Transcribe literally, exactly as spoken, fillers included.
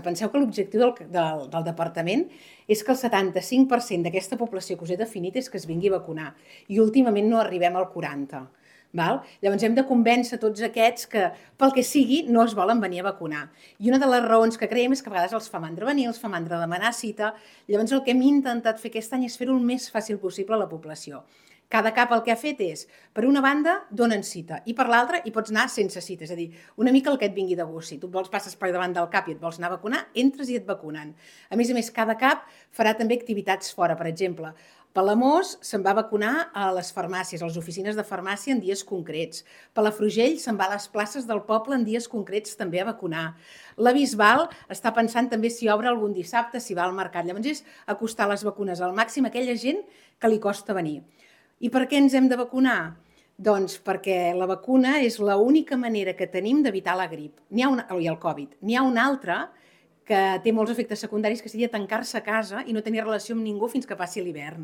Penseu que l'objectiu del, del, del departament és que el setanta-cinc per cent d'aquesta població que us he definit és que es vingui a vacunar i últimament no arribem al quaranta per cent. Val? Llavors hem de convèncer tots aquests que pel que sigui no es volen venir a vacunar. I una de les raons que creiem és que a vegades els fa mandra venir, els fa mandra demanar cita. Llavors el que hem intentat fer aquest any és fer-ho el més fàcil possible a la població. Cada cap el que ha fet és, per una banda, donen cita, i per l'altra hi pots anar sense cita, és a dir, una mica el que et vingui de gust. Si tu vols passes per davant del cap i et vols anar a vacunar, entres i et vacunen. A més a més, cada cap farà també activitats fora, per exemple, Palamós se'n va vacunar a les farmàcies, a les oficines de farmàcia en dies concrets. Palafrugell se'n va a les places del poble en dies concrets també a vacunar. La Bisbal està pensant també si obre algun dissabte, si va al mercat. Llavors és acostar les vacunes al màxim a aquella gent que li costa venir. I per què ens hem de vacunar? Doncs perquè la vacuna és l'única manera que tenim d'evitar la grip n'hi ha una, i el Covid. N'hi ha una altra que té molts efectes secundaris, que seria tancar-se a casa i no tenir relació amb ningú fins que passi l'hivern.